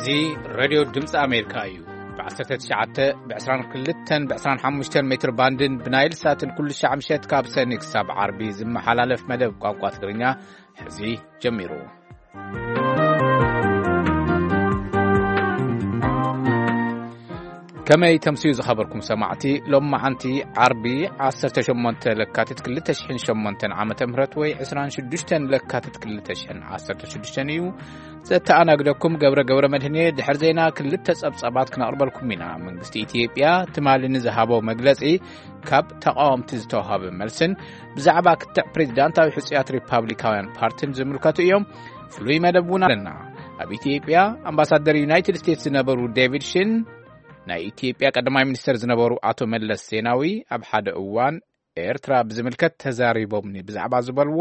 እዚ ሬድዮ ድምፂ ኣሜሪካ እዩ። ብ19፣ ብ22፣ ብ25 ሜትር ባንድን ብናይል ሳትን ኩሉ ሻዕ ምሸት ካብ ሰኒ ክሳብ ዓርቢ ዝመሓላለፍ መደብ ቋንቋ ትግርኛ ሕዚ ጀሚሩ። ከመይ ተምስዩ ዝኸበርኩም ሰማዕቲ፣ ሎም መዓንቲ ዓርቢ 18 ለካቲት 2008 ዓመተ ምህረት ወይ 26 ለካቲት 2016 እዩ። ዘተኣናግደኩም ገብረ ገብረ መድህን እየ። ድሕሪ ዜና ክልተ ጸብጻባት ክነቕርበልኩም ኢና። መንግስቲ ኢትዮጵያ ትማሊ ንዝሃቦ መግለጺ፣ ካብ ተቃወምቲ ዝተዋሃበ መልስን ብዛዕባ ክትዕ ፕሬዚዳንታዊ ሕጹያት ሪፓብሊካውያን ፓርቲን ዝምልከቱ እዮም። ፍሉይ መደብ እውን ኣለና። ኣብ ኢትዮጵያ ኣምባሳደር ዩናይትድ ስቴትስ ዝነበሩ ዴቪድ ሽን፣ ናይ ኢትዮጵያ ቀዳማይ ሚኒስተር ዝነበሩ ኣቶ መለስ ዜናዊ ኣብ ሓደ እዋን ኤርትራ ብዝምልከት ተዛሪቦምኒ ብዛዕባ ዝበልዎ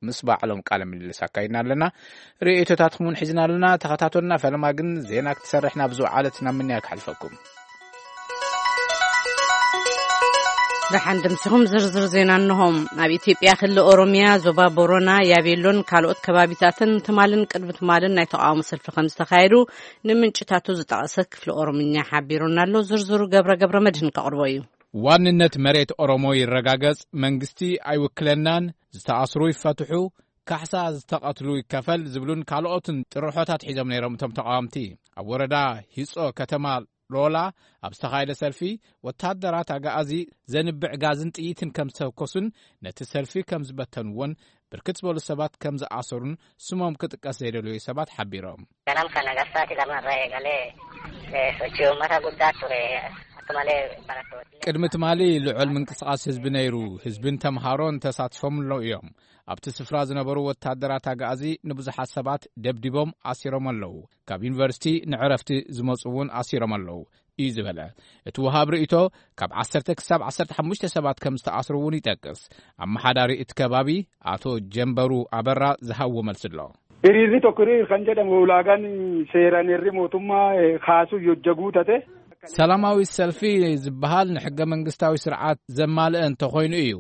ምስ ባዕሎም ቃለ ምልልስ ኣካይድና ኣለና። ርእይቶታትኩም እውን ሒዝና ኣለና። ተኸታተሉና። ፈለማ ግን ዜና ክትሰርሕ ናብ ዝወዓለት ናብ ምንያ ክሓልፈኩም። ደሓን ድምስኹም ዝርዝር ዜና እንሆም። ኣብ ኢትዮጵያ ክልል ኦሮሚያ ዞባ ቦረና፣ ያቤሎን ካልኦት ከባቢታትን ትማልን ቅድሚ ትማልን ናይ ተቃውሞ ሰልፊ ከም ዝተኻየዱ ንምንጭታቱ ዝጠቐሰ ክፍሊ ኦሮምኛ ሓቢሩና ኣሎ። ዝርዝሩ ገብረ ገብረ መድህን ከቕርቦ እዩ። ዋንነት መሬት ኦሮሞ ይረጋገጽ፣ መንግስቲ ኣይውክለናን፣ ዝተኣስሩ ይፈትሑ፣ ካሕሳ ዝተቐትሉ ይከፈል ዝብሉን ካልኦትን ጥርሖታት ሒዞም ነይሮም እቶም ተቃወምቲ። ኣብ ወረዳ ሂጾ ከተማ ሎላ ኣብ ዝተኻየደ ሰልፊ፣ ወታደራት ኣጋኣዚ ዘንብዕ ጋዝን ጥይትን ከም ዝተኮሱን ነቲ ሰልፊ ከም ዝበተንዎን ብርክት ዝበሉ ሰባት ከም ዝኣሰሩን ስሞም ክጥቀስ ዘይደለዩ ሰባት ሓቢሮም። Ganama kana gara sa'aatii 2 irraa eegalee, eh, sochii uummataa guddaa ture. Akka malee barattoonni ቅድሚ ትማሊ ልዑል ምንቅስቃስ ህዝቢ ነይሩ። ህዝብን ተምሃሮን ተሳትፎም ኣለዉ እዮም። ኣብቲ ስፍራ ዝነበሩ ወታደራት ኣጋኣዚ ንብዙሓት ሰባት ደብዲቦም ኣሲሮም ኣለዉ። ካብ ዩኒቨርሲቲ ንዕረፍቲ ዝመፁ እውን ኣሲሮም ኣለዉ እዩ ዝበለ እቲ ወሃብ ርእይቶ። ካብ 10 ክሳብ 15 ሰባት ከም ዝተኣስሩ እውን ይጠቅስ። ኣመሓዳሪ እቲ ከባቢ ኣቶ ጀንበሩ ኣበራ ዝሃብዎ መልሲ ኣሎ። Hiriirri tokko hiriir kan jedhamu ulaagaan seeraan heerri mootummaa, eh, kaasuu yoo hojjaguu tate. ሰላማዊ ሰልፊ ዝበሃል ንሕገ መንግስታዊ ስርዓት ዘማልአ እንተኾይኑ እዩ።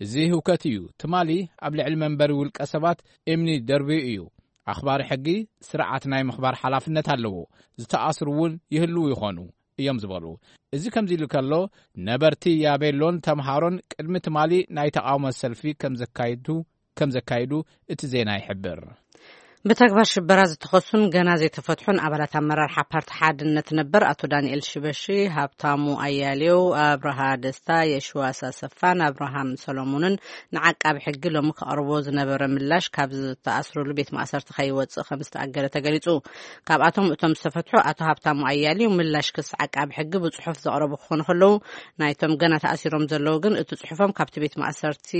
እዚ ህውከት እዩ። ትማሊ ኣብ ልዕሊ መንበሪ ውልቀ ሰባት እምኒ ደርብዩ እዩ። ኣኽባሪ ሕጊ ስርዓት ናይ ምኽባር ሓላፍነት ኣለዎ። ዝተኣስሩ እውን ይህልዉ ይኾኑ እዮም ዝበሉ። እዚ ከምዚ ኢሉ ከሎ፣ ነበርቲ ያቤሎን ተምሃሮን ቅድሚ ትማሊ ናይ ተቃውሞ ሰልፊ ከም ዘካይዱ ከም ዘካይዱ እቲ ዜና ይሕብር። ብተግባር ሽበራ ዝተኸሱን ገና ዘይተፈትሑን ኣባላት ኣመራርሓ ፓርቲ ሓድነት ነበር ኣቶ ዳንኤል ሽበሺ፣ ሃብታሙ ኣያሌው፣ ኣብርሃ ደስታ፣ የሽዋስ ኣሰፋን ኣብርሃም ሰሎሞንን ንዓቃቢ ሕጊ ሎሚ ከቕርቦ ዝነበረ ምላሽ ካብ ዝተኣስሩሉ ቤት ማእሰርቲ ከይወፅእ ከም ዝተኣገደ ተገሊጹ። ካብኣቶም እቶም ዝተፈትሑ ኣቶ ሃብታሙ ኣያሌው ምላሽ ክስ ዓቃቢ ሕጊ ብጽሑፍ ዘቕረቡ ክኾኑ ከለዉ፣ ናይቶም ገና ተኣሲሮም ዘለዉ ግን እቲ ጽሑፎም ካብቲ ቤት ማእሰርቲ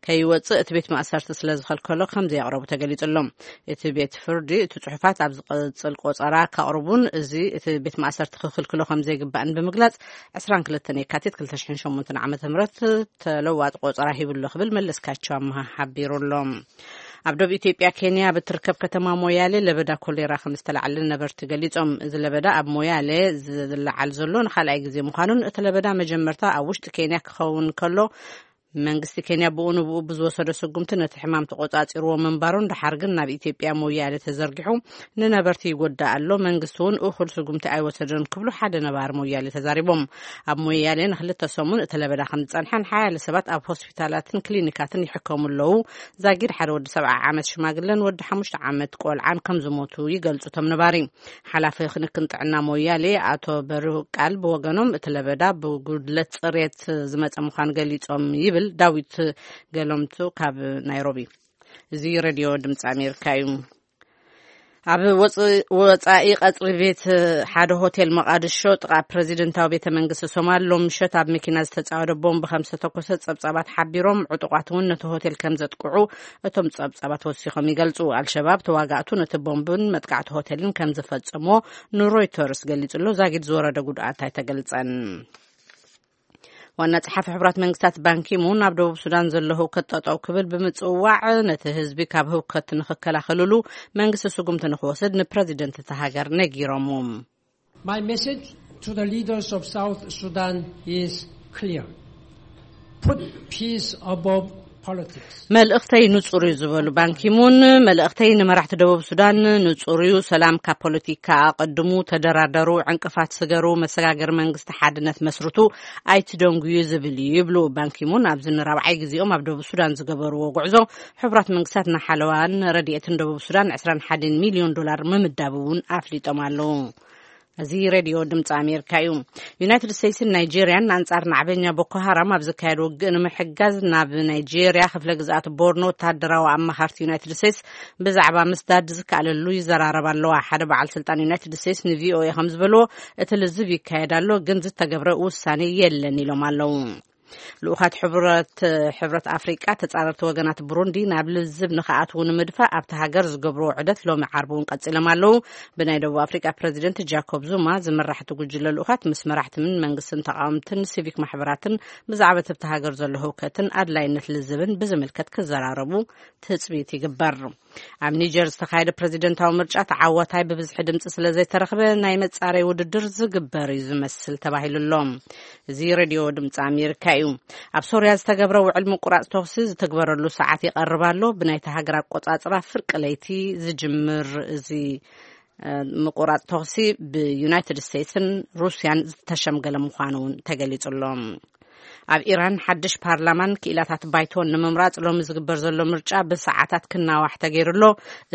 ከይወጽእ እቲ ቤት ማእሰርቲ ስለ ዝኸልከሎ ከም ዘየቕረቡ ተገሊጹ ኣሎ። እቲ ቤት ፍርዲ እቲ ጽሑፋት ኣብ ዝቕጽል ቆጸራ ከቕርቡን እዚ እቲ ቤት ማእሰርቲ ክኽልክሎ ከም ዘይግባእን ብምግላጽ 22 የካቲት 2008 ዓ.ም ተለዋጥ ቆጸራ ሂቡ ኣሎ ክብል መለስካቸው ኣመሃ ሓቢሩ ኣሎ። ኣብ ደቡብ ኢትዮጵያ ኬንያ ብትርከብ ከተማ ሞያሌ ለበዳ ኮሌራ ከም ዝተላዓለ ነበርቲ ገሊጾም። እዚ ለበዳ ኣብ ሞያሌ ዝለዓል ዘሎ ንኻልኣይ ግዜ ምዃኑን እቲ ለበዳ መጀመርታ ኣብ ውሽጢ ኬንያ ክኸውን ከሎ መንግስቲ ኬንያ ብኡ ንብኡ ብዝወሰዶ ስጉምቲ ነቲ ሕማም ተቆጻጺርዎ ምንባሩን ደሓር ግን ናብ ኢትዮጵያ ሞያሌ ተዘርጊሑ ንነበርቲ ይጎዳእ ኣሎ፣ መንግስቲ እውን እኹል ስጉምቲ ኣይወሰደን ክብሉ ሓደ ነባሪ ሞያሌ ተዛሪቦም። ኣብ ሞያሌ ንክልተ ሰሙን እቲ ለበዳ ከም ዝጸንሐን ሓያለ ሰባት ኣብ ሆስፒታላትን ክሊኒካትን ይሕከሙ ኣለዉ። ዛጊድ ሓደ ወዲ 70 ዓመት ሽማግለን ወዲ ሓሙሽተ ዓመት ቆልዓን ከም ዝሞቱ ይገልጹ እቶም ነባሪ። ሓላፊ ክንክን ጥዕና ሞያሌ ኣቶ በርሁ ቃል ብወገኖም እቲ ለበዳ ብጉድለት ጽሬት ዝመጸ ምዃኑ ገሊጾም ይብል ዳዊት ገለምቱ ካብ ናይሮቢ። እዚ ሬድዮ ድምፂ ኣሜሪካ እዩ። ኣብ ወፅ-፣ ወፃኢ ቀፅሪ ቤት ሓደ ሆቴል መቓድሾ ጥቓ ፕረዚደንታዊ ቤተ መንግስቲ ሶማል ሎም ምሸት ኣብ መኪና ዝተፃወደ ቦምብ ከም ዝተተኮሰ ፀብፃባት ሓቢሮም፣ ዕጡቋት እውን ነቲ ሆቴል ከም ዘጥቅዑ እቶም ጸብጻባት ወሲኾም ይገልጹ። ኣልሸባብ ተዋጋእቱ ነቲ ቦምብን መጥቃዕቲ ሆቴልን ከም ዝፈጸሞ ንሮይተርስ ገሊጹ ኣሎ። ዛጊድ ዝወረደ ጉድኣት ኣይተገልጸን። ዋና ጸሓፊ ሕቡራት መንግስታት ባንኪሙን ኣብ ደቡብ ሱዳን ዘሎ ህውከት ጠጠው ክብል ብምጽዋዕ ነቲ ህዝቢ ካብ ህውከት ንኽከላኸልሉ መንግስቲ ስጉምቲ ንኽወስድ ንፕረዚደንት እታ ሃገር ነጊሮም። My message to the leaders of South Sudan is clear. Put peace above መልእኽተይ ንጹር እዩ ዝበሉ ባንኪሙን፣ መልእኽተይ ንመራሕቲ ደቡብ ሱዳን ንጹር እዩ። ሰላም ካብ ፖለቲካ ኣቐድሙ፣ ተደራደሩ፣ ዕንቅፋት ስገሩ፣ መሰጋገሪ መንግስቲ ሓድነት መስርቱ፣ ኣይትደንጉዩ ዝብል እዩ ይብሉ ባንኪሙን። ኣብዚ ንራብዓይ ግዜኦም ኣብ ደቡብ ሱዳን ዝገበርዎ ጉዕዞ፣ ሕቡራት መንግስታት ንሓለዋን ረድኤትን ደቡብ ሱዳን ዕስራን ሓደን ሚልዮን ዶላር ምምዳቡ እውን ኣፍሊጦም ኣለዉ። እዚ ሬድዮ ድምፂ ኣሜሪካ እዩ። ዩናይትድ ስቴትስን ናይጄርያን ኣንጻር ናዕበኛ ቦኮ ሃራም ኣብ ዝካየድ ውግእ ንምሕጋዝ ናብ ናይጄርያ ክፍለ ግዝኣት ቦርኖ ወተሃደራዊ ኣማኻርቲ ዩናይትድ ስቴትስ ብዛዕባ ምስዳድ ዝከኣለሉ ይዘራረባ ኣለዋ። ሓደ በዓል ስልጣን ዩናይትድ ስቴትስ ንቪኦኤ ከም ዝበልዎ፣ እቲ ልዝብ ይካየድ ኣሎ፣ ግን ዝተገብረ ውሳኔ የለን ኢሎም ኣለዉ። ልኡኻት ሕብረት፣ ሕብረት ኣፍሪቃ ተጻረርቲ ወገናት ብሩንዲ ናብ ልዝብ ንኽኣትዉ ንምድፋእ ኣብቲ ሃገር ዝገብርዎ ዑደት ሎሚ ዓርቢ እውን ቀጺሎም ኣለዉ። ብናይ ደቡብ ኣፍሪቃ ፕረዚደንት ጃኮብ ዙማ ዝምራሕ እቲ ጉጅለ ልኡኻት ምስ መራሕትን መንግስትን ተቃወምትን ሲቪክ ማሕበራትን ብዛዕባ እቲ ኣብቲ ሃገር ዘሎ ህውከትን ኣድላይነት ልዝብን ብዝምልከት ክዘራረቡ ትጽቢት ይግበር። ኣብ ኒጀር ዝተኻየደ ፕረዚደንታዊ ምርጫ ተዓዋታይ ብብዝሒ ድምፂ ስለ ዘይተረኽበ ናይ መጻረይ ውድድር ዝግበር እዩ ዝመስል ተባሂሉ ኣሎ። እዚ ሬድዮ ድምፂ ኣሜሪካ እዩ። ኣብ ሶርያ ዝተገብረ ውዕል ምቁራፅ ተኹሲ ዝትግበረሉ ሰዓት ይቐርብ ኣሎ። ብናይቲ ሃገር ኣቆፃፅራ ፍርቂ ለይቲ ዝጅምር እዚ፣ እ፣ ምቁራፅ ተኹሲ ብዩናይትድ ስቴትስን ሩስያን ዝተሸምገለ ምዃኑ እውን ተገሊጹ ኣሎ። ኣብ ኢራን ሓድሽ ፓርላማን ክኢላታት ባይቶን ንምምራጽ ሎሚ ዝግበር ዘሎ ምርጫ ብሰዓታት ክናዋሕ ተገይሩ ኣሎ።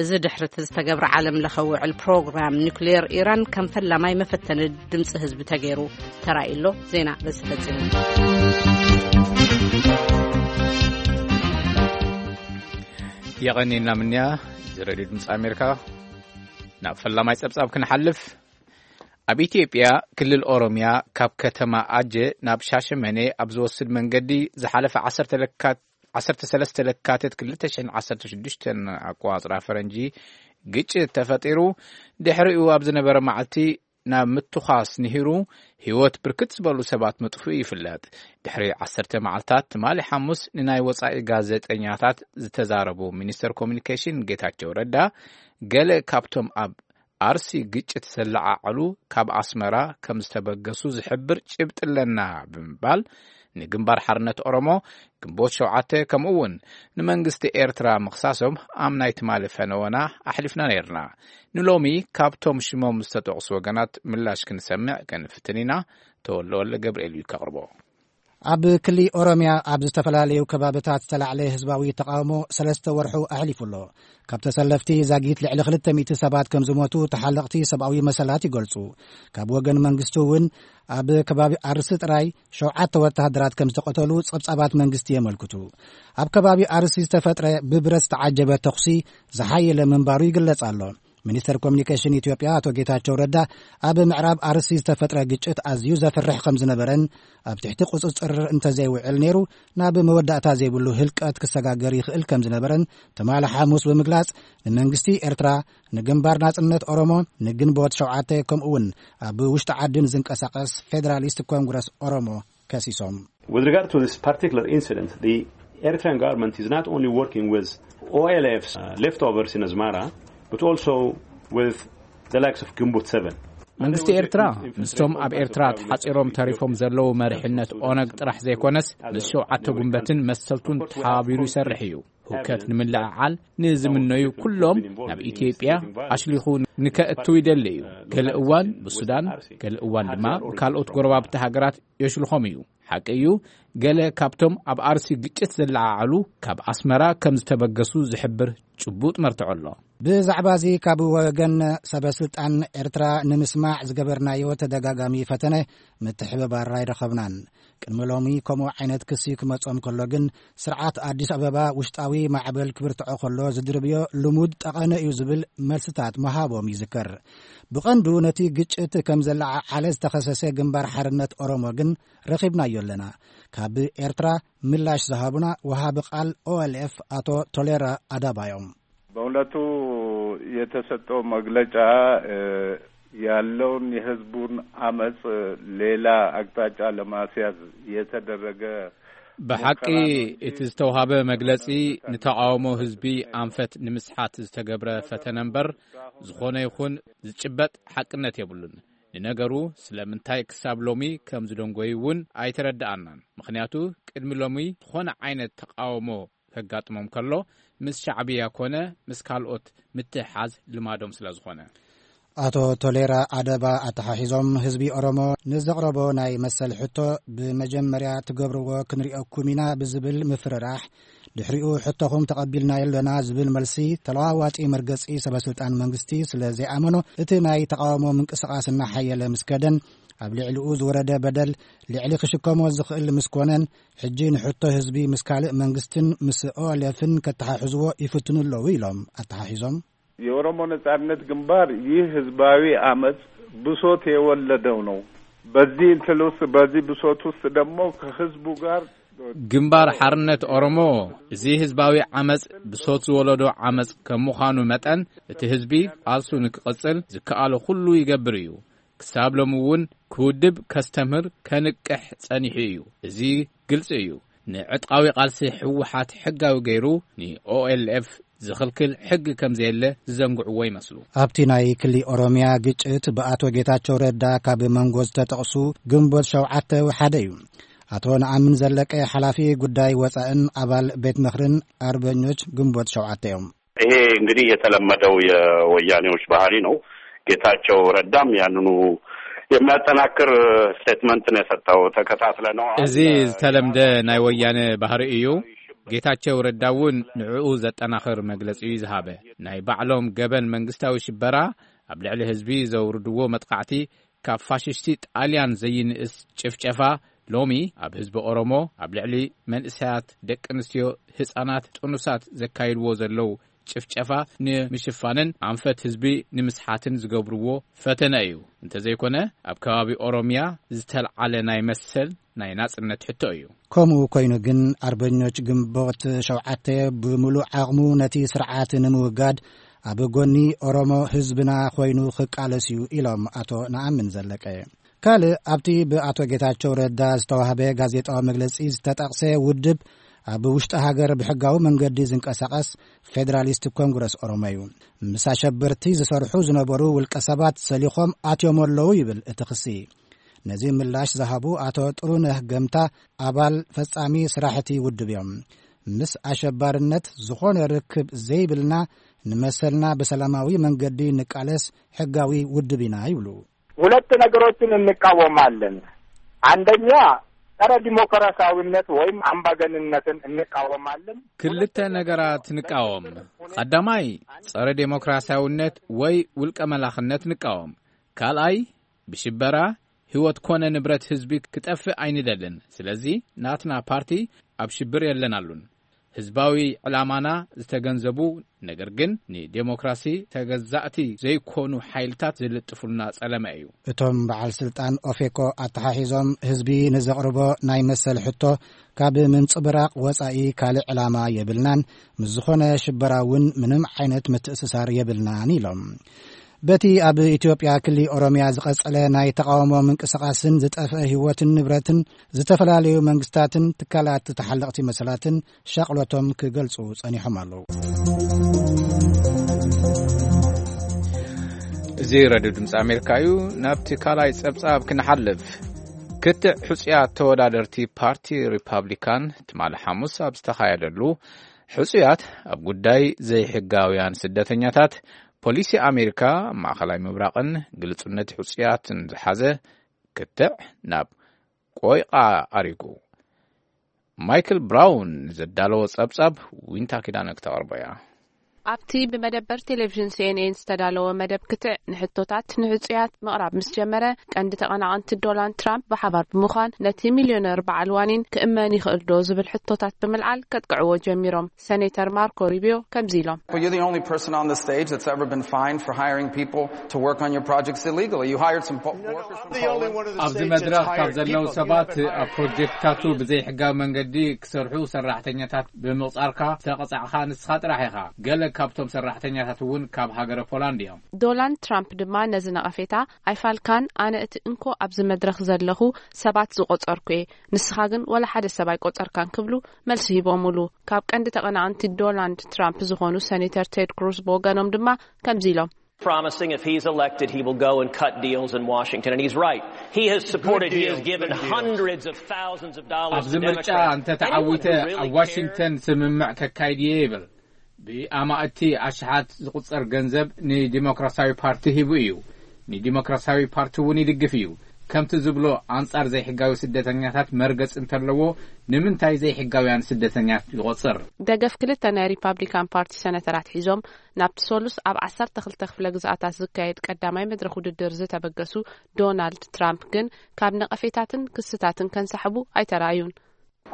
እዚ ድሕሪ እቲ ዝተገብረ ዓለም ለኸ ውዕል ፕሮግራም ኒውክሌር ኢራን ከም ፈላማይ መፈተኒ ድምፂ ህዝቢ ተገይሩ ተራእዩ ኣሎ። ዜና በዚ ፈጺሙ። የቐኒና ምንያ። እዚ ሬድዮ ድምፂ ኣሜሪካ። ናብ ፈላማይ ጸብጻብ ክንሓልፍ፣ ኣብ ኢትዮጵያ ክልል ኦሮምያ ካብ ከተማ ኣጀ ናብ ሻሸመኔ ኣብ ዝወስድ መንገዲ ዝሓለፈ ዓሰርተ ለካት-፣ ዓሰርተ ሰለስተ ለካቲት ክልተ ሽሕን ዓሰርተ ሽዱሽተን ኣቆጻጽራ ፈረንጂ ግጭት ተፈጢሩ። ድሕሪኡ ኣብ ዝነበረ መዓልቲ ናብ ምትዃስ ንሂሩ ህይወት ብርክት ዝበሉ ሰባት ምጥፍኡ ይፍለጥ። ድሕሪ ዓሰርተ መዓልታት ትማሊ ሓሙስ ንናይ ወጻኢ ጋዜጠኛታት ዝተዛረቡ ሚኒስተር ኮሚኒኬሽን ጌታቸው ረዳ፣ ገለ ካብቶም ኣብ ኣርሲ ግጭት ዘለዓዓሉ ካብ ኣስመራ ከም ዝተበገሱ ዝሕብር ጭብጢ ኣለና ብምባል፣ ንግንባር ሓርነት ኦሮሞ፣ ግንቦት ሸውዓተ፣ ከምኡ እውን ንመንግስቲ ኤርትራ ምኽሳሶም ኣብ ናይ ትማሊ ፈነወና ኣሕሊፍና ነይርና። ንሎሚ ካብቶም ሽሞም ዝተጠቕሱ ወገናት ምላሽ ክንሰምዕ ክንፍትን ኢና። ተወልደ ወልደ ገብርኤል እዩ ከቕርቦ። ኣብ ክሊ ኦሮምያ ኣብ ዝተፈላለዩ ከባብታት ዝተላዕለ ህዝባዊ ተቃውሞ ሰለስተ ወርሑ ኣሕሊፉ ኣሎ። ካብ ተሰለፍቲ ዛጊት ልዕሊ ክልተ ሚእቲ ሰባት ከም ዝሞቱ ተሓለቕቲ ሰብኣዊ መሰላት ይገልጹ። ካብ ወገን መንግስቲ እውን ኣብ ከባቢ ኣርሲ ጥራይ ሸውዓተ ወተሃደራት ከም ዝተቐተሉ ጸብጻባት መንግስቲ የመልክቱ። ኣብ ከባቢ ኣርሲ ዝተፈጥረ ብብረት ዝተዓጀበ ተኹሲ ዝሓየለ ምንባሩ ይግለጽ ኣሎ። ሚኒስተር ኮሚኒኬሽን ኢትዮጵያ ኣቶ ጌታቸው ረዳ፣ ኣብ ምዕራብ ኣርሲ ዝተፈጥረ ግጭት ኣዝዩ ዘፍርሕ ከም ዝነበረን ኣብ ትሕቲ ቁጽጽር እንተዘይውዕል ነይሩ ናብ መወዳእታ ዘይብሉ ህልቀት ክሰጋገር ይኽእል ከም ዝነበረን ትማሊ ሓሙስ ብምግላጽ፣ ንመንግስቲ ኤርትራ፣ ንግንባር ናጽነት ኦሮሞ፣ ንግንቦት ሸውዓተ፣ ከምኡ እውን ኣብ ውሽጢ ዓዲ ንዝንቀሳቐስ ፌደራሊስት ኮንግረስ ኦሮሞ ከሲሶም። With regard to this particular incident, the Eritrean government is not only working with O L F's, uh, leftovers in Asmara, but also with the likes of Gimbut seven. መንግስቲ ኤርትራ ምስቶም ኣብ ኤርትራ ተሓጺሮም ተሪፎም ዘለዉ መሪሕነት ኦነግ ጥራሕ ዘይኮነስ፣ ምስ ሸውዓተ ጉንበትን መሰልቱን ተሓባቢሩ ይሰርሕ እዩ። ህውከት ንምልዕዓል ንዝምነዩ ኩሎም ናብ ኢትዮጵያ ኣሽሊኹ ንከእትው ይደሊ እዩ። ገለ እዋን ብሱዳን፣ ገለ እዋን ድማ ብካልኦት ጎረባብቲ ሃገራት የሽልኾም እዩ። ሓቂ እዩ፣ ገለ ካብቶም ኣብ ኣርሲ ግጭት ዘለዓዓሉ ካብ ኣስመራ ከም ዝተበገሱ ዝሕብር ጭቡጥ መርትዖ ኣሎ። ብዛዕባ እዚ ካብ ወገን ሰበ ስልጣን ኤርትራ ንምስማዕ ዝገበርናዮ ተደጋጋሚ ፈተነ ምትሕብባር ኣይረኸብናን። ቅድሚ ሎሚ ከምኡ ዓይነት ክሲ ክመጾም ከሎ ግን፣ ስርዓት ኣዲስ ኣበባ ውሽጣዊ ማዕበል ክብርትዖ ከሎ ዝድርብዮ ልሙድ ጠቐነ እዩ ዝብል መልስታት ምሃቦም ይዝከር። ብቐንዱ ነቲ ግጭት ከም ዘለዓዓለ ዝተኸሰሰ ግንባር ሓርነት ኦሮሞ ግን ረኺብናዮ ኣለና። ካብ ኤርትራ ምላሽ ዝሃቡና ወሃቢ ቃል ኦኤልኤፍ ኣቶ ቶሌራ ኣዳባ እዮም። በእውነቱ የተሰጠው መግለጫ፣ እ፣ ያለውን የህዝቡን አመጽ ሌላ አቅጣጫ ለማስያዝ የተደረገ ብሓቂ፣ ሙከራ ነው እንጂ እቲ ዝተውሃበ መግለጺ ንተቓውሞ ህዝቢ ኣንፈት ንምስሓት ዝተገብረ ፈተነ እምበር፣ ዝኾነ ይኹን ዝጭበጥ ሓቅነት የብሉን። ንነገሩ፣ ስለምንታይ ክሳብ ሎሚ ከም ዝደንጎዩ እውን ኣይተረድኣናን። ምኽንያቱ፣ ቅድሚ ሎሚ ዝኾነ ዓይነት ተቓውሞ ከጋጥሞም ከሎ፣ ምስ ሻዕብያ ኮነ ምስ ካልኦት ምትሕሓዝ ልማዶም ስለ ዝኾነ። ኣቶ ቶሌራ ኣደባ ኣተሓሒዞም፣ ህዝቢ ኦሮሞ ንዘቕረቦ ናይ መሰል ሕቶ፣ ብመጀመርያ ትገብርዎ ክንሪኦኩም ኢና ብዝብል ምፍርራሕ፣ ድሕሪኡ ሕቶኹም ተቐቢልናዮ ኣለና ዝብል መልሲ፣ ተለዋዋጢ መርገጺ ሰበስልጣን መንግስቲ ስለ ዘይኣመኖ፣ እቲ ናይ ተቓውሞ ምንቅስቓስ እናሓየለ ምስ ከደን፣ ኣብ ልዕሊኡ ዝወረደ በደል ልዕሊ ክሽከሞ ዝኽእል ምስ ኮነን፣ ሕጂ ንሕቶ ህዝቢ ምስ ካልእ መንግስትን ምስ ኦኤልኤፍን ከተሓሕዝዎ ይፍትኑ ኣለዉ ኢሎም ኣተሓሒዞም። የኦሮሞ ነጻነት ግንባር ይህ ህዝባዊ አመፅ ብሶት የወለደው ነው። በዚህ እንትን ውስጥ፣ በዚህ ብሶት ውስጥ ደግሞ ከህዝቡ ጋር ግንባር ሓርነት ኦሮሞ፣ እዚ ህዝባዊ ዓመፅ ብሶት ዝወለዶ ዓመፅ ከም ምዃኑ መጠን፣ እቲ ህዝቢ ቃልሱ ንክቕጽል ዝከኣሎ ኩሉ ይገብር እዩ። ክሳብ ሎሚ እውን ክውድብ፣ ከስተምህር፣ ከንቅሕ ጸኒሑ እዩ። እዚ ግልጺ እዩ። ንዕጥቃዊ ቃልሲ ህወሓት ሕጋዊ ገይሩ ንኦኤልኤፍ ዝኽልክል ሕጊ ከም ዘየለ ዝዘንግዕዎ ይመስሉ። ኣብቲ ናይ ክሊ ኦሮሚያ ግጭት ብኣቶ ጌታቸው ረዳ ካብ መንጎ ዝተጠቕሱ ግንቦት ሸውዓተ ሓደ እዩ። ኣቶ ነኣምን ዘለቀ ሓላፊ ጉዳይ ወፃእን ኣባል ቤት ምኽርን ኣርበኞች ግንቦት ሸውዓተ እዮም። ይሄ እንግዲህ የተለመደው የወያኔዎች ባህሪ ነው። ጌታቸው ረዳም ያንኑ የሚያጠናክር ስቴትመንት ነው የሰጠው። ተከታትለነዋል። እዚ ዝተለምደ ናይ ወያነ ባህሪ እዩ። ጌታቸው ረዳ እውን ንዕኡ ዘጠናኽር መግለጺ እዩ ዝሃበ። ናይ ባዕሎም ገበን መንግስታዊ ሽበራ፣ ኣብ ልዕሊ ህዝቢ ዘውርድዎ መጥቃዕቲ፣ ካብ ፋሽስቲ ጣልያን ዘይንእስ ጭፍጨፋ፣ ሎሚ ኣብ ህዝቢ ኦሮሞ፣ ኣብ ልዕሊ መንእሰያት፣ ደቂ ኣንስትዮ፣ ህጻናት፣ ጥኑሳት ዘካይድዎ ዘለዉ ጭፍጨፋ ንምሽፋንን ኣንፈት ህዝቢ ንምስሓትን ዝገብርዎ ፈተነ እዩ። እንተዘይኮነ፣ ኣብ ከባቢ ኦሮሚያ ዝተልዓለ ናይ መሰል ናይ ናጽነት ሕቶ እዩ። ከምኡ ኮይኑ ግን፣ ኣርበኞች ግንቦት ሸውዓተ ብምሉእ ዓቕሙ ነቲ ስርዓት ንምውጋድ ኣብ ጎኒ ኦሮሞ ህዝብና ኮይኑ ክቃለስ እዩ ኢሎም ኣቶ ነኣምን ዘለቀ። ካልእ ኣብቲ ብኣቶ ጌታቸው ረዳ ዝተዋህበ ጋዜጣዊ መግለጺ ዝተጠቕሰ ውድብ፣ ኣብ ውሽጢ ሃገር ብሕጋዊ መንገዲ ዝንቀሳቐስ ፌደራሊስት ኮንግረስ ኦሮሞ እዩ። ምስ ኣሸበርቲ ዝሰርሑ ዝነበሩ ውልቀ ሰባት ሰሊኾም ኣትዮም ኣለዉ ይብል እቲ ክሲ። ነዚ ምላሽ ዝሃቡ ኣቶ ጥሩነህ ገምታ፣ ኣባል ፈጻሚ ስራሕቲ ውድብ እዮም። ምስ ኣሸባርነት ዝኾነ ርክብ ዘይብልና፣ ንመሰልና ብሰላማዊ መንገዲ ንቃለስ ሕጋዊ ውድብ ኢና ይብሉ። ሁለት ነገሮችን እንቃወማለን። አንደኛ፣ ጸረ ዲሞክራሲያዊነት ወይም አምባገንነትን እንቃወማለን። ክልተ ነገራት ንቃወም። ቀዳማይ፣ ጸረ ዴሞክራሲያውነት ወይ ውልቀ መላኽነት ንቃወም። ካልኣይ፣ ብሽበራ ህይወት ኮነ ንብረት ህዝቢ ክጠፍእ ኣይንደልን። ስለዚ ናትና ፓርቲ ኣብ ሽብር የለናሉን። ህዝባዊ ዕላማና ዝተገንዘቡ፣ ነገር ግን ንዴሞክራሲ ተገዛእቲ ዘይኮኑ ሓይልታት ዝልጥፉልና ጸለመ እዩ። እቶም በዓል ስልጣን ኦፌኮ ኣተሓሒዞም፣ ህዝቢ ንዘቕርቦ ናይ መሰል ሕቶ ካብ ምንጽብራቕ ወጻኢ ካልእ ዕላማ የብልናን፣ ምስ ዝኾነ ሽበራ እውን ምንም ዓይነት ምትእስሳር የብልናን ኢሎም። በቲ ኣብ ኢትዮጵያ ክሊ ኦሮሚያ ዝቐጸለ ናይ ተቓውሞ ምንቅስቓስን ዝጠፍአ ህይወትን ንብረትን፣ ዝተፈላለዩ መንግስታትን ትካላት ተሓለቕቲ መሰላትን ሻቕሎቶም ክገልጹ ጸኒሖም ኣለዉ። እዚ ረድዮ ድምፂ ኣሜሪካ እዩ። ናብቲ ካልኣይ ጸብጻብ ክንሓልፍ። ክትዕ ሕጹያት ተወዳደርቲ ፓርቲ ሪፓብሊካን ትማሊ ሓሙስ ኣብ ዝተኻየደሉ፣ ሕጹያት ኣብ ጉዳይ ዘይሕጋውያን ስደተኛታት፣ ፖሊሲ ኣሜሪካ፣ ማእኸላይ ምብራቕን ግልጹነት ሕጹያትን ዝሓዘ ክትዕ ናብ ቆይቓ ኣሪጉ። ማይክል ብራውን ዘዳለዎ ጸብጻብ ዊንታ ኪዳነ ክተቕርቦ እያ። ኣብቲ ብመደበር ቴሌቪዥን ሲኤንኤን ዝተዳለወ መደብ ክትዕ፣ ንሕቶታት ንሕጹያት ምቕራብ ምስ ጀመረ፣ ቀንዲ ተቐናቐንቲ ዶናልድ ትራምፕ ብሓባር ብምዃን፣ ነቲ ሚልዮነር በዓል ዋኒን ክእመን ይኽእል ዶ ዝብል ሕቶታት ብምልዓል ከጥቅዕዎ ጀሚሮም። ሰኔተር ማርኮ ሩቢዮ ከምዚ ኢሎም። Well, you're the only person on the stage that's ever been fined for hiring people to work on your projects illegally. You hired some po- workers from Poland. ኣብዚ መድረኽ ካብ ዘለዉ ሰባት ኣብ ፕሮጀክትታቱ ብዘይሕጋዊ መንገዲ ክሰርሑ ሰራሕተኛታት ብምቕጻርካ ዝተቐጻዕኻ ንስኻ ጥራሕ ኢኻ። ገለ ካብቶም ሰራሕተኛታት እውን ካብ ሃገረ ፖላንድ እዮም። ዶናልድ ትራምፕ ድማ ነዚ ነቐፌታ ኣይፋልካን፣ ኣነ እቲ እንኮ ኣብዚ መድረኽ ዘለኹ ሰባት ዝቖጸርኩ እየ፣ ንስኻ ግን ወላ ሓደ ሰብ ኣይቆጸርካን ክብሉ መልሲ ሂቦምሉ። ካብ ቀንዲ ተቐናቐንቲ ዶናልድ ትራምፕ ዝኾኑ ሰኔተር ቴድ ክሩዝ ብወገኖም ድማ ከምዚ ኢሎም። promising if he's elected, he will go and cut deals in Washington. And he's right. He has supported, he has given hundreds of thousands of dollars ኣብዚ to ምርጫ Democrats. እንተ ተዓዊተ ኣብ ዋሽንግተን ስምምዕ ከካይድ እየ ይብል። ብኣማእቲ ኣሽሓት ዝቑጸር ገንዘብ ንዲሞክራሲያዊ ፓርቲ ሂቡ እዩ። ንዲሞክራሲያዊ ፓርቲ እውን ይድግፍ እዩ። ከምቲ ዝብሎ ኣንጻር ዘይሕጋዊ ስደተኛታት መርገጽ እንተለዎ ንምንታይ ዘይሕጋውያን ስደተኛት ይቖጽር? ደገፍ ክልተ ናይ ሪፓብሊካን ፓርቲ ሰነተራት ሒዞም ናብቲ ሶሉስ ኣብ ዓሰርተ ክልተ ክፍለ ግዝኣታት ዝካየድ ቀዳማይ መድረኽ ውድድር ዝተበገሱ ዶናልድ ትራምፕ ግን ካብ ነቐፌታትን ክስታትን ከንሳሕቡ ኣይተራእዩን።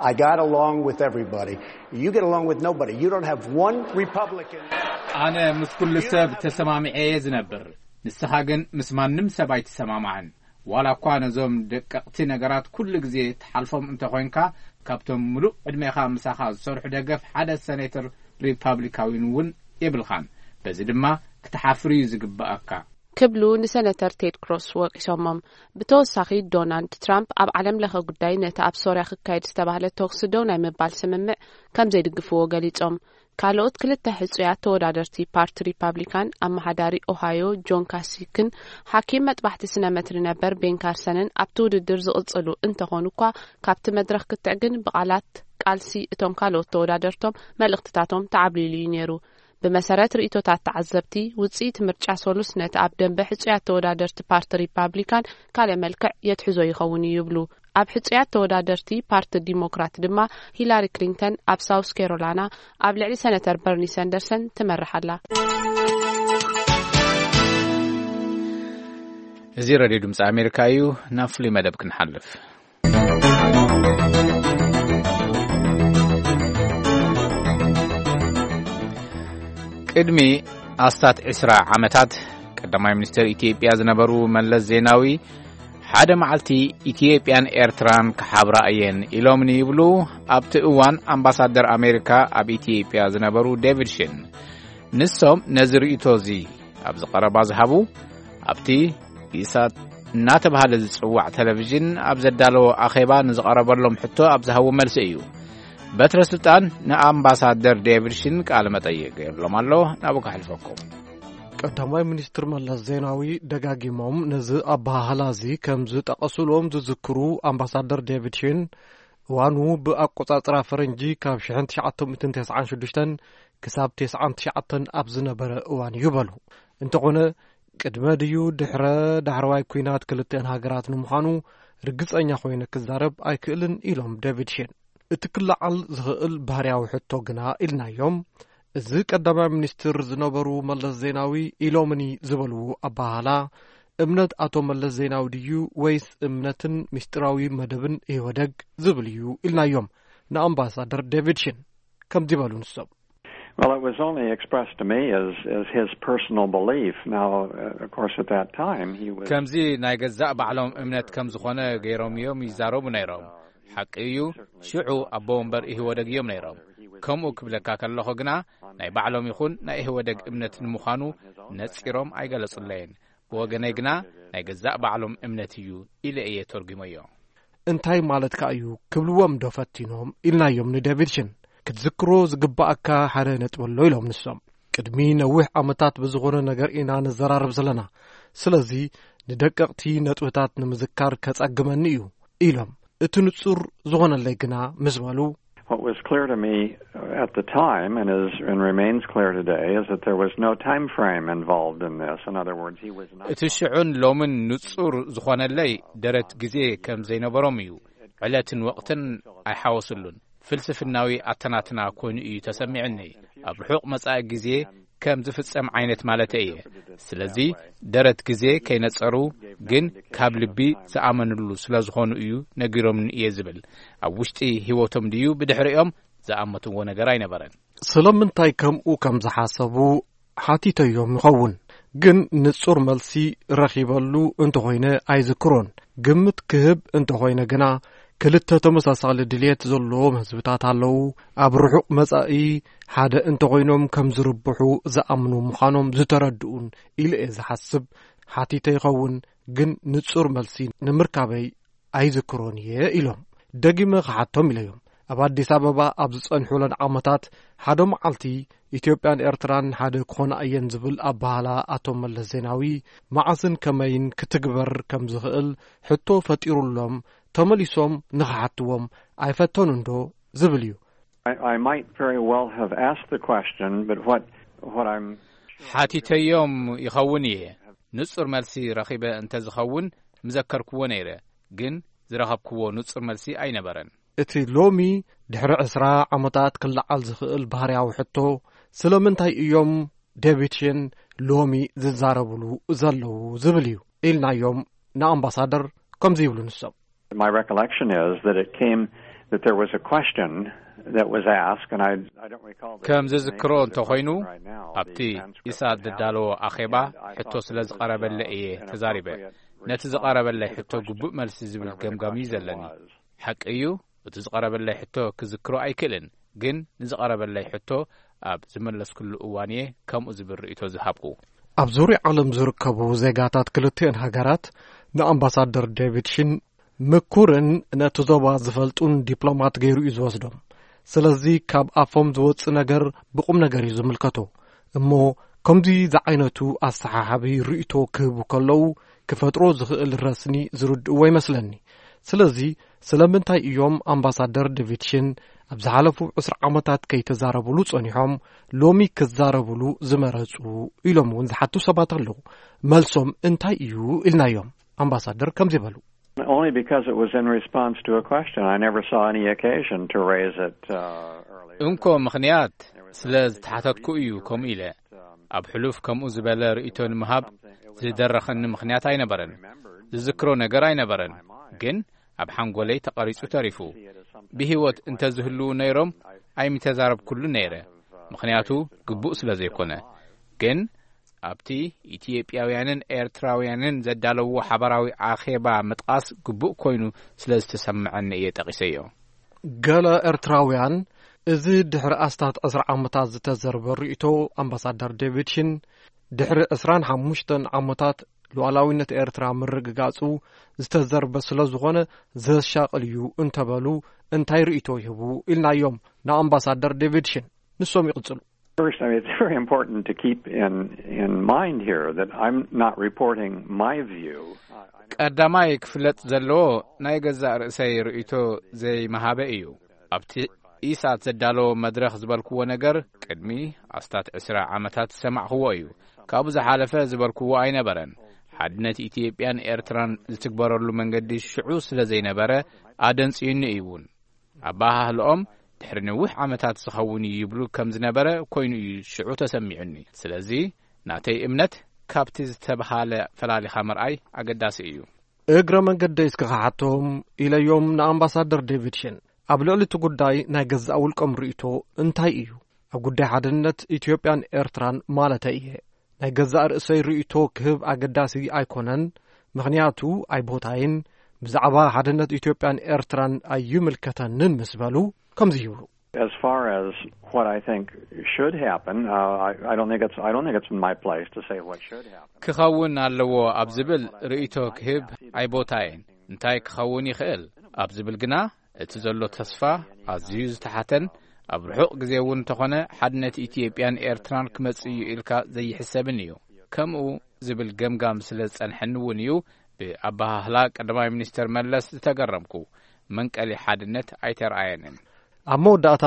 I got along with everybody. You get along with nobody. You don't have one Republican. ኣነ ምስ ኩሉ ሰብ ተሰማሚዐ እየ ዝነብር። ንስኻ ግን ምስ ማንም ሰብ ኣይትሰማማዕን። ዋላ እኳ ነዞም ደቀቕቲ ነገራት ኩሉ ግዜ ትሓልፎም እንተኾይንካ፣ ካብቶም ምሉእ ዕድሜኻ ምሳኻ ዝሰርሑ ደገፍ ሓደ ሰኔተር ሪፓብሊካዊን እውን የብልኻን። በዚ ድማ ክትሓፍር እዩ ዝግባኣካ። ክብሉ ንሰነተር ቴድ ክሮስ ወቂሶሞም። ብተወሳኺ ዶናልድ ትራምፕ ኣብ ዓለም ለኸ ጉዳይ ነቲ ኣብ ሶርያ ክካየድ ዝተባህለ ተኩሲ ደው ናይ ምባል ስምምዕ ከም ዘይድግፍዎ ገሊጾም። ካልኦት ክልተ ሕጹያት ተወዳደርቲ ፓርቲ ሪፓብሊካን ኣመሓዳሪ ኦሃዮ ጆን ካሲክን ሓኪም መጥባሕቲ ስነ መትሪ ነበር ቤን ካርሰንን ኣብቲ ውድድር ዝቕጽሉ እንተኾኑ እኳ ካብቲ መድረኽ ክትዕ ግን ብቓላት ቃልሲ እቶም ካልኦት ተወዳደርቶም መልእኽትታቶም ተዓብሊሉ እዩ ነይሩ። ብመሰረት ርእይቶታት ተዓዘብቲ፣ ውጽኢት ምርጫ ሶሉስ ነቲ ኣብ ደንበ ሕጹያት ተወዳደርቲ ፓርቲ ሪፓብሊካን ካልእ መልክዕ የትሕዞ ይኸውን እዩ ይብሉ። ኣብ ሕጹያት ተወዳደርቲ ፓርቲ ዲሞክራት ድማ ሂላሪ ክሊንተን ኣብ ሳውስ ካሮላና ኣብ ልዕሊ ሰነተር በርኒ ሰንደርሰን ትመርሕ ኣላ። እዚ ሬድዮ ድምፂ ኣሜሪካ እዩ። ናብ ፍሉይ መደብ ክንሓልፍ። ቅድሚ ኣስታት ዕስራ ዓመታት ቀዳማይ ሚኒስትር ኢትዮጵያ ዝነበሩ መለስ ዜናዊ ሓደ መዓልቲ ኢትዮጵያን ኤርትራን ክሓብራ እየን ኢሎምኒ ይብሉ ኣብቲ እዋን ኣምባሳደር ኣሜሪካ ኣብ ኢትዮጵያ ዝነበሩ ዴቪድ ሽን። ንሶም ነዚ ርእይቶ እዚ ኣብዚ ቀረባ ዝሃቡ ኣብቲ ኢሳት እናተባህለ ዝጽዋዕ ቴሌቪዥን ኣብ ዘዳለዎ ኣኼባ ንዝቐረበሎም ሕቶ ኣብ ዝሃቡ መልሲ እዩ። በትረ ስልጣን ንኣምባሳደር ዴቪድ ሽን ቃለ መጠይቕ ገይርሎም ኣሎ። ናብኡ ከሕልፈኩም። ቀዳማይ ሚኒስትር መለስ ዜናዊ ደጋጊሞም ነዚ ኣበሃህላ እዚ ከም ዝጠቐሱሎም ዝዝክሩ ኣምባሳደር ዴቪድ ሽን፣ እዋኑ ብኣቆጻጽራ ፈረንጂ ካብ ሽሕን ትሽዓተ ሚእትን ተስዓን ሽዱሽተን ክሳብ ተስዓን ትሽዓተን ኣብ ዝነበረ እዋን እዩ በሉ። እንተኾነ ቅድመ ድዩ ድሕረ ዳሕረዋይ ኲናት ክልተን ሃገራት ንምዃኑ ርግጸኛ ኮይነ ክዛረብ ኣይክእልን ኢሎም ዴቪድ ሽን። እቲ ክለዓል ዝኽእል ባህርያዊ ሕቶ ግና ኢልናዮም፣ እዚ ቀዳማይ ሚኒስትር ዝነበሩ መለስ ዜናዊ ኢሎምኒ ዝበልዎ ኣበሃህላ፣ እምነት ኣቶ መለስ ዜናዊ ድዩ ወይስ እምነትን ምስጢራዊ መደብን ኢህወደግ ዝብል እዩ ኢልናዮም ንኣምባሳደር ዴቪድ ሽን። ከምዚ በሉ ንሶም። Well, it was only expressed to me as, as his personal belief. Now, uh, of course, at that time, he was. ከምዚ ናይ ገዛእ ባዕሎም እምነት ከም ዝኾነ ገይሮም እዮም ይዛረቡ ነይሮም። ሓቂ እዩ፣ ሽዑ ኣቦ ወንበር ኢህወደግ እዮም ነይሮም። ከምኡ ክብለካ ከለኹ ግና ናይ ባዕሎም ይኹን ናይ ኢህወደግ እምነት ንምዃኑ ነጺሮም ኣይገለጹለይን። ብወገነይ ግና ናይ ገዛእ ባዕሎም እምነት እዩ ኢለ እየ ተርጒመዮ። እንታይ ማለትካ እዩ ክብልዎም ዶ ፈቲኖም ኢልናዮም ንዴቪድ ሽን። ክትዝክሮ ዝግባኣካ ሓደ ነጥቢ ኣሎ ኢሎም ንሶም። ቅድሚ ነዊሕ ዓመታት ብዝኾነ ነገር ኢና ንዘራረብ ዘለና። ስለዚ ንደቀቕቲ ነጥብታት ንምዝካር ከጸግመኒ እዩ ኢሎም። እቲ ንጹር ዝኾነለይ ግና ምስ በሉ። What was clear to me at the time and is and remains clear today is that there was no time frame involved in this. In other words, he was not. እቲ ሽዑን ሎምን ንጹር ዝኾነለይ ደረት ግዜ ከም ዘይነበሮም እዩ። ዕለትን ወቕትን ኣይሓወስሉን። ፍልስፍናዊ ኣተናትና ኮይኑ እዩ ተሰሚዕኒ። ኣብ ርሑቕ መጻኢ ግዜ ከም ዝፍጸም ዓይነት ማለተይ እየ። ስለዚ ደረት ግዜ ከይነጸሩ ግን ካብ ልቢ ዝኣመንሉ ስለ ዝኾኑ እዩ ነጊሮምኒ እየ ዝብል። ኣብ ውሽጢ ህይወቶም ድዩ ብድሕሪኦም ዝኣመትዎ ነገር ኣይነበረን። ስለምንታይ ከምኡ ከም ዝሓሰቡ ሓቲተዮም ይኸውን፣ ግን ንጹር መልሲ ረኺበሉ እንተኾይነ ኣይዝክሮን። ግምት ክህብ እንተኾይነ ግና፣ ክልተ ተመሳሳሊ ድልየት ዘለዎም ህዝብታት ኣለዉ። ኣብ ርሑቕ መጻኢ ሓደ እንተኾይኖም ከም ዝርብሑ ዝኣምኑ ምዃኖም ዝተረድኡን ኢለ እየ ዝሓስብ። ሓቲተ ይኸውን፣ ግን ንጹር መልሲ ንምርካበይ ኣይዝክሮን እየ ኢሎም። ደጊመ ክሓቶም ኢለዮም። ኣብ ኣዲስ ኣበባ ኣብ ዝጸንሑለን ዓመታት ሓደ መዓልቲ ኢትዮጵያን ኤርትራን ሓደ ክኾና እየን ዝብል ኣበሃላ ኣቶ መለስ ዜናዊ መዓስን ከመይን ክትግበር ከም ዝኽእል ሕቶ ፈጢሩሎም ተመሊሶም ንኽሓትዎም ኣይፈተኑን ዶ ዝብል እዩ። I, I might very well have asked the question, but what what I'm ሓቲተዮም ይኸውን እየ። ንጹር መልሲ ረኺበ እንተ ዝኸውን ምዘከርክዎ ነይረ፣ ግን ዝረኸብክዎ ንጹር መልሲ ኣይነበረን። እቲ ሎሚ ድሕሪ ዕስራ ዓመታት ክለዓል ዝኽእል ባህርያዊ ሕቶ፣ ስለምንታይ እዮም ዴቪድ ሽን ሎሚ ዝዛረብሉ ዘለዉ ዝብል እዩ ኢልናዮም ንኣምባሳደር። ከምዚ ይብሉ ንሶም። My recollection is that it came that there was a question that was asked, and I, I don't recall the ከም name ዝዝክሮ of the እንተኾይኑ question right now. ኣብቲ The transcript ኢሳት was ዘዳለዎ out, ኣኼባ and I ሕቶ thought ስለ that it was, ዝቐረበለይ uh, እየ an ተዛሪበ። appropriate ነቲ response ዝቐረበለይ to the ሕቶ question, ግቡእ መልሲ ዝብል whatever the ገምጋም እዩ question ዘለኒ። Was. ሓቂ እዩ፣ እቲ ዝቐረበለይ ሕቶ ክዝክሮ ኣይክእልን፣ ግን ንዝቐረበለይ ሕቶ ኣብ ዝመለስኩሉ እዋን እየ ከምኡ ዝብል ርእይቶ ዝሃብኩ። ኣብ ዙርያ ዓለም ዝርከቡ ዜጋታት ክልቲአን ሃገራት ንኣምባሳደር ዴቪድ ሽን ምኩርን ነቲ ዞባ ዝፈልጡን ዲፕሎማት ገይሩ እዩ ዝወስዶም። ስለዚ ካብ ኣፎም ዝወጽእ ነገር ብቑም ነገር እዩ ዝምልከቶ። እሞ ከምዚ ዝዓይነቱ ኣሰሓሓቢ ርእይቶ ክህቡ ከለዉ ክፈጥሮ ዝኽእል ረስኒ ዝርድእዎ ይመስለኒ። ስለዚ ስለምንታይ እዮም ኣምባሳደር ዴቪድ ሽን ኣብ ዝሓለፉ ዕስራ ዓመታት ከይተዛረብሉ ጸኒሖም ሎሚ ክዛረብሉ ዝመረጹ ኢሎም እውን ዝሓቱ ሰባት ኣለዉ። መልሶም እንታይ እዩ ኢልናዮም ኣምባሳደር ከምዚ በሉ። Only because it was in response to a question. I never saw any occasion to raise it uh, earlier. እንኮ ምኽንያት ስለ ዝተሓተትኩ እዩ ከምኡ ኢለ። ኣብ ሕሉፍ ከምኡ ዝበለ ርእይቶ ንምሃብ ዝደረኸኒ ምኽንያት ኣይነበረን። ዝዝክሮ ነገር ኣይነበረን፣ ግን ኣብ ሓንጎለይ ተቐሪጹ ተሪፉ። ብህይወት እንተዝህልዉ ነይሮም ኣይምተዛረብኩሉ ነይረ፣ ምኽንያቱ ግቡእ ስለ ዘይኮነ። ግን ኣብቲ ኢትዮጵያውያንን ኤርትራውያንን ዘዳለውዎ ሓባራዊ ኣኼባ ምጥቓስ ግቡእ ኮይኑ ስለ ዝተሰምዐኒ እየ ጠቒሰዮ። ገለ ኤርትራውያን፣ እዚ ድሕሪ ኣስታት ዕስራ ዓመታት ዝተዘርበ ርእይቶ ኣምባሳደር ዴቪድ ሽን ድሕሪ ዕስራን ሓሙሽተን ዓመታት ሉዓላዊነት ኤርትራ ምርግጋጹ ዝተዘርበ ስለ ዝኾነ ዘሻቕል እዩ እንተበሉ እንታይ ርእይቶ ይህቡ ኢልናዮም ንኣምባሳደር ዴቪድ ሽን። ንሶም ይቕጽሉ። First, I mean, it's very important to keep in in mind here that I'm not reporting my view. ቀዳማይ ክፍለጥ ዘለዎ ናይ ገዛእ ርእሰይ ርእይቶ ዘይመሃበ እዩ። ኣብቲ ኢሳት ዘዳለዎ መድረኽ ዝበልክዎ ነገር ቅድሚ ኣስታት ዕስራ ዓመታት ዝሰማዕክዎ እዩ። ካብኡ ዝሓለፈ ዝበልክዎ ኣይነበረን። ሓድነት ኢትዮጵያን ኤርትራን ዝትግበረሉ መንገዲ ሽዑ ስለ ዘይነበረ ኣደንጽዩኒ እዩ እውን። ኣበሃህልኦም ድሕሪ ነዊሕ ዓመታት ዝኸውን እዩ ይብሉ ከም ዝነበረ ኮይኑ እዩ ሽዑ ተሰሚዑኒ። ስለዚ ናተይ እምነት ካብቲ ዝተብሃለ ፈላሊኻ ምርኣይ ኣገዳሲ እዩ። እግረ መንገደይ እስኪ ክሓቶም ኢለዮም ንኣምባሳደር ዴቪድ ሽን። ኣብ ልዕሊ እቲ ጉዳይ ናይ ገዛእ ውልቆም ርእይቶ እንታይ እዩ? ኣብ ጉዳይ ሓድነት ኢትዮጵያን ኤርትራን ማለተይ እየ። ናይ ገዛእ ርእሰይ ርእይቶ ክህብ ኣገዳሲ ኣይኮነን፣ ምኽንያቱ ኣይቦታይን፣ ብዛዕባ ሓድነት ኢትዮጵያን ኤርትራን ኣይምልከተንን ምስ በሉ ከምዚ ይብሉ። As far as what I think should happen, uh, I, I don't think it's I don't think it's my place to say what should happen. ክኸውን ኣለዎ ኣብ ዝብል ርእይቶ ክህብ ኣይቦታይን። እንታይ ክኸውን ይኽእል ኣብ ዝብል ግና እቲ ዘሎ ተስፋ ኣዝዩ ዝተሓተን ኣብ ርሑቕ ግዜ እውን እንተኾነ ሓድነት ኢትዮጵያን ኤርትራን ክመጽእ እዩ ኢልካ ዘይሕሰብን እዩ። ከምኡ ዝብል ገምጋም ስለ ዝጸንሐኒ እውን እዩ ብኣበሃህላ ቀዳማይ ሚኒስተር መለስ ዝተገረምኩ። መንቀሊ ሓድነት ኣይተረኣየንን። ኣብ መወዳእታ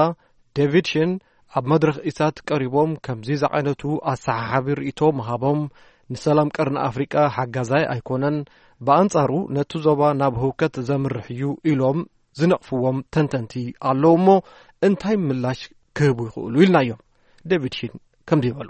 ዴቪድ ሽን ኣብ መድረኽ ኢሳት ቀሪቦም ከምዚ ዝዓይነቱ ኣሰሓሓቢ ርእይቶ ምሃቦም ንሰላም ቀርኒ ኣፍሪቃ ሓጋዛይ ኣይኮነን፣ ብኣንጻሩ ነቲ ዞባ ናብ ህውከት ዘምርሕ እዩ ኢሎም ዝነቕፍዎም ተንተንቲ ኣለዉ እሞ እንታይ ምላሽ ክህቡ ይኽእሉ ኢልናዮም። ዴቪድ ሺን ከምዚ ይበሉ።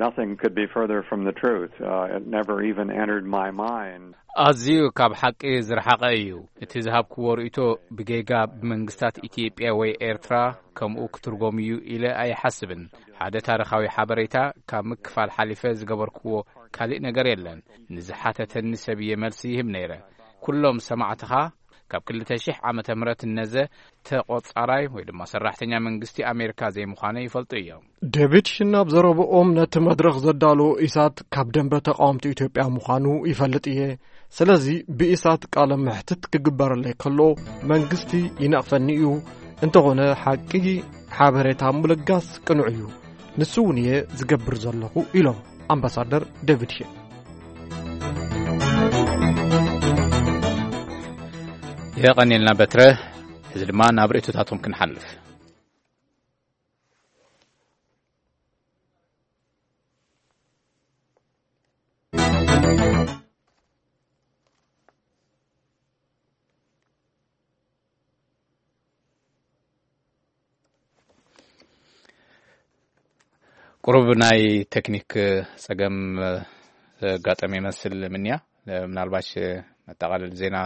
Nothing could be further from the truth. Uh, it never even entered my mind. ኣዝዩ ካብ ሓቂ ዝረሓቐ እዩ። እቲ ዝሃብክዎ ርእይቶ ብጌጋ ብመንግስታት ኢትዮጵያ ወይ ኤርትራ ከምኡ ክትርጎም እዩ ኢለ ኣይሓስብን። ሓደ ታሪኻዊ ሓበሬታ ካብ ምክፋል ሓሊፈ ዝገበርክዎ ካልእ ነገር የለን። ንዝሓተተኒ ሰብ እየ መልሲ ይህብ ነይረ። ኩሎም ሰማዕትኻ ካብ ክልተ ሽሕ ዓመተ ምህረት እነዘ ተቖጻራይ ወይ ድማ ሰራሕተኛ መንግስቲ ኣሜሪካ ዘይምዃነ ይፈልጡ እዮም። ዴቪድ ሽን ኣብ ዘረብኦም ነቲ መድረኽ ዘዳለዎ ኢሳት ካብ ደንበ ተቓወምቲ ኢትዮጵያ ምዃኑ ይፈልጥ እየ። ስለዚ ብኢሳት ቃለ መሕትት ክግበረለይ ከሎ መንግስቲ ይነቕፈኒ እዩ። እንተኾነ ሓቂ ሓበሬታ ምልጋስ ቅኑዕ እዩ። ንሱ እውን እየ ዝገብር ዘለኹ ኢሎም ኣምባሳደር ዴቪድ ሼን። የቐንየልና በትረ። እዚ ድማ ናብ ርእይቶታቶም ክንሓልፍ። ቁሩብ ናይ ቴክኒክ ጸገም ዘጋጠመ ይመስል ምንያ። ምናልባሽ መጠቓለሊ ዜና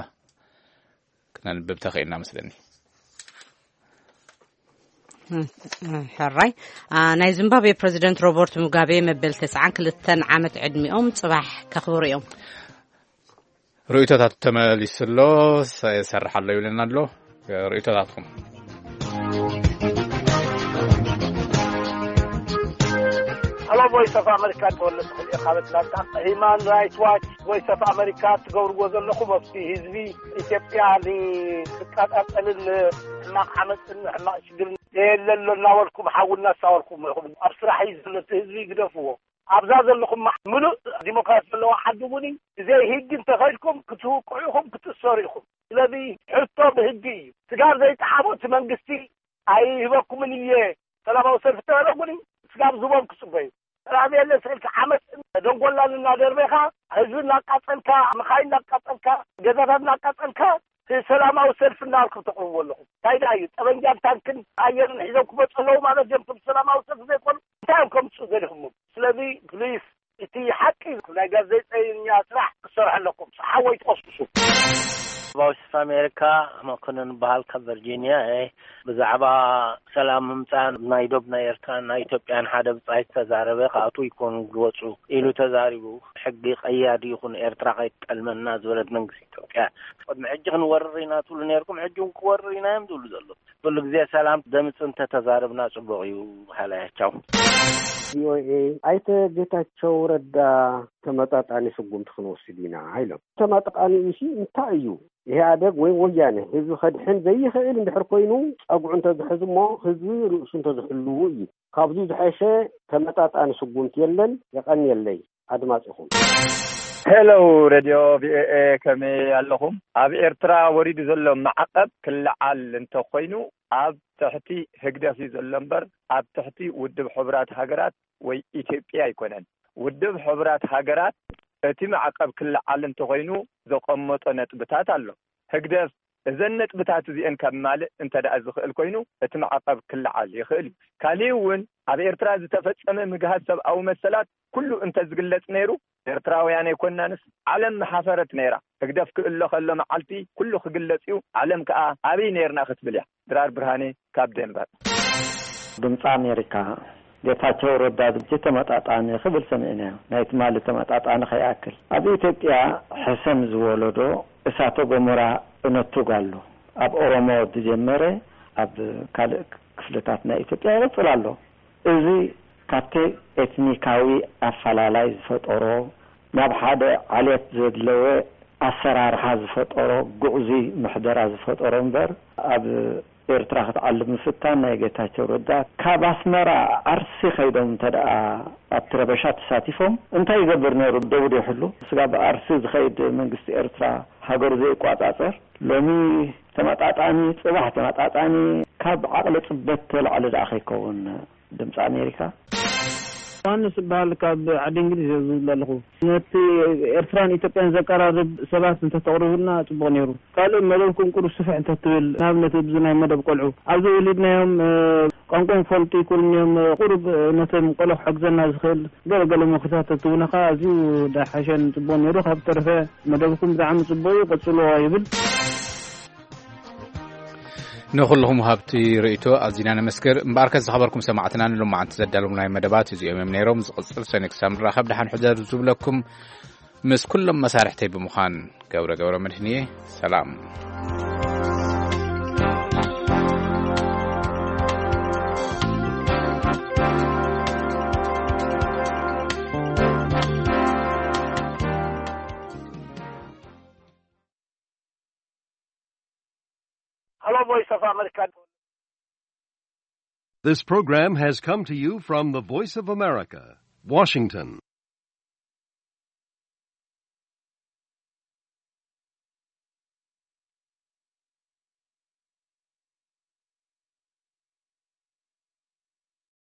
ክነንብብ ተኽኢልና መስለኒ። ሕራይ። አ፣ ናይ ዚምባብዌ ፕረዚደንት ሮበርት ሙጋቤ መበል ተስዓን ክልተን ዓመት ዕድሚኦም ጽባሕ ከኽብሩ እዮም። ርእይቶታት ተመሊሱ ኣሎ፣ ሰ-፣ ይሰርሕ ኣሎ ይብለና ኣሎ። ርእይቶታትኩም። ሀሎ ቮይስ ኦፍ ኣመሪካ፣ ተወለ ትኽእል ኢኻ በትላታ። ሂማን ራይት ዋች፣ ቮይስ ኦፍ ኣመሪካ፣ ትገብርዎ ዘለኹም ኣብቲ ህዝቢ ኢትዮጵያ ንክቃጣጠልን ሕማቕ ዓመፅን ሕማቕ ሽግርን የለ ኣሎ እናበልኩም ሓዊ እናሳወርኩም ኢኹም። ኣብ ስራሕ እዩ ዘሎ እቲ ህዝቢ ግደፍዎ። ኣብዛ ዘለኹም ምሉእ ዲሞክራሲ ዘለዎ ዓዲ እውን እዩ። ብዘይ ህጊ እንተኸድኩም ክትውቅዑ ኢኹም፣ ክትእሰሩ ኢኹም። ስለዚ ሕቶ ብህጊ እዩ። ስጋብ ዘይጠሓቦ እቲ መንግስቲ ኣይህበኩምን እየ። ሰላማዊ ሰልፊ ተበለ እውን ስጋብ ዝቦም ክፅበዩ። ሰላም የለ ስልክ ዓመፅ ደንጎላን እናደርበኻ ህዝቢ እናቃፀልካ፣ መኻይን እናቃፀልካ፣ ገዛታት እናቃፀልካ ሰላማዊ ሰልፊ እናበልኩም ተቕርቡ ኣለኹም። እንታይ ደኣ እዩ? ጠበንጃን ታንክን ኣየርን ሒዞም ክመፁ ኣለዉ ማለት እዮም። እቶም ሰላማዊ ሰልፊ ዘይኮኑ እንታይ እዮም ከምፅኡ ደሊኹም? ስለዚ ፕሊስ እቲ ሓቂ ናይ ጋዜጠኛ ስራሕ ክትሰርሑ ኣለኩም። ሓወይ ትቐስቅሱ። ቮይስ ኦፍ ኣሜሪካ፣ መኮንን በሃል ካብ ቨርጂኒያ እየ። ብዛዕባ ሰላም ምምፃእ ናይ ዶብ ናይ ኤርትራን ናይ ኢትዮጵያን ሓደ ብጻይ ዝተዛረበ ክኣትዉ ይኮኑ ዝወፁ ኢሉ ተዛሪቡ። ሕጊ ቀያዲ ይኹን ኤርትራ ከይትጠልመና ዝበለት መንግስቲ ኢትዮጵያ። ቅድሚ ሕጂ ክንወርር ኢና ትብሉ ነርኩም፣ ሕጂ እውን ክወርር ኢና እዮም ዝብሉ ዘለዉ። ኩሉ ግዜ ሰላም ደምፅ እንተተዛረብና ፅቡቕ እዩ። ሃላያቻው ቪኦኤ፣ ኣይተ ጌታቸው ረዳ ተመጣጣኒ ስጉምቲ ክንወስድ ኢና ኢሎም። ተመጣጣኒ ኢሲ እንታይ እዩ? ኢህኣደግ ወይ ወያነ ህዝቢ ከድሕን ዘይኽእል እንድሕር ኮይኑ ጸጉዑ እንተዝሕዝ እሞ ህዝቢ ርእሱ እንተዝሕልዉ እዩ። ካብዚ ዝሐሸ ተመጣጣኒ ስጉምቲ የለን። የቐንየለይ ኣድማጺኹም። ሄሎ ሬድዮ ቪኦኤ፣ ከመይ ኣለኹም? ኣብ ኤርትራ ወሪዱ ዘሎ ማዕቐብ ክለዓል እንተኾይኑ ኣብ ትሕቲ ህግደፍ እዩ ዘሎ እምበር ኣብ ትሕቲ ውድብ ሕቡራት ሃገራት ወይ ኢትዮጵያ ኣይኮነን። ውድብ ሕቡራት ሃገራት እቲ ማዕቐብ ክለዓል እንተኾይኑ ዘቐመጦ ነጥብታት ኣሎ። ህግደፍ እዘን ነጥብታት እዚአን ከማልእ እንተ ደኣ ዝኽእል ኮይኑ እቲ ማዕቐብ ክለዓል ይኽእል እዩ። ካሊእ እውን ኣብ ኤርትራ ዝተፈጸመ ምግሃስ ሰብኣዊ መሰላት ኩሉ እንተ ዝግለጽ ነይሩ ኤርትራውያን ኣይኮናንስ ዓለም ምሓፈረት ነይራ። ህግደፍ ክእለ ከሎ መዓልቲ ኩሉ ክግለጽ እዩ። ዓለም ከኣ ኣበይ ነይርና ክትብል እያ። ድራር ብርሃኔ ካብ ዴንቨር። ድምፂ ኣሜሪካ፣ ጌታቸው ረዳ ሕጂ ተመጣጣኒ ክብል ሰሚዕናዮ። ናይ ትማሊ ተመጣጣኒ ከይኣክል ኣብ ኢትዮጵያ ሕሰም ዝወለዶ እሳተ ጎመራ እነቱግ ኣሎ። ኣብ ኦሮሞ ዝጀመረ ኣብ ካልእ ክፍልታት ናይ ኢትዮጵያ ይቕፅል ኣሎ። እዚ ካብቲ ኤትኒካዊ ኣፈላላይ ዝፈጠሮ ናብ ሓደ ዓሌት ዘድለወ ኣሰራርሓ ዝፈጠሮ ግዕዙይ ምሕደራ ዝፈጠሮ እምበር ኣብ ኤርትራ ክትዓልብ ምፍታን ናይ ጌታቸው ረዳ ካብ ኣስመራ ዓርሲ ከይዶም እንተ ደኣ ኣብቲ ረበሻ ተሳቲፎም እንታይ ይገብር ነይሩ? ደቡድ ይሕሉ ስጋብ ዓርሲ ዝኸይድ መንግስቲ ኤርትራ ሃገሩ ዘይቋጻጸር ሎሚ ተመጣጣኒ ጽባሕ ተመጣጣኒ ካብ ዓቕሊ ጽበት ተላዕሊ ደኣ ከይከውን ድምፂ ኣሜሪካ። ዮሃንስ እበሃል ካብ ዓዲ እንግሊዝ እየ ዝብል ኣለኹ። ነቲ ኤርትራን ኢትዮጵያን ዘቀራርብ ሰባት እንተተቕርቡልና ጽቡቕ ነይሩ። ካልእ መደብኩም ቁሩብ ስፍሕ እንተትብል ንኣብነት ኣብዚ ናይ መደብ ቆልዑ ኣብዚ ወሊድናዮም ቋንቋኦም ክፈልጡ ይክእሉ እዮም። ቁሩብ ነቶም ቆልዑ ክሕግዘና ዝኽእል ገለ ገለ ምኽርታት ተትህቡና ከኣ ኣዝዩ ደሓሸን ጽቡቕ ነይሩ። ካብ ተረፈ መደብኩም ብጣዕሚ ጽቡቕ እዩ፣ ቀጽልዎ ይብል። ንኹልኹም ወሃብቲ ርእይቶ ኣዚና ነመስግን። እምበኣርከስ ዝኸበርኩም ሰማዕትና ንሎማዓንቲ ዘዳለውናዮም መደባት እዚኦም እዮም ነይሮም። ዝቕጽል ሰኒ ክሳብ ንራኸብ ደሓን ሕደሩ ዝብለኩም ምስ ኩሎም መሳርሕተይ ብምዃን ገብረ ገብረ መድህን እየ። ሰላም። Hello, Voice of America. This program has come to you from the Voice of America, Washington.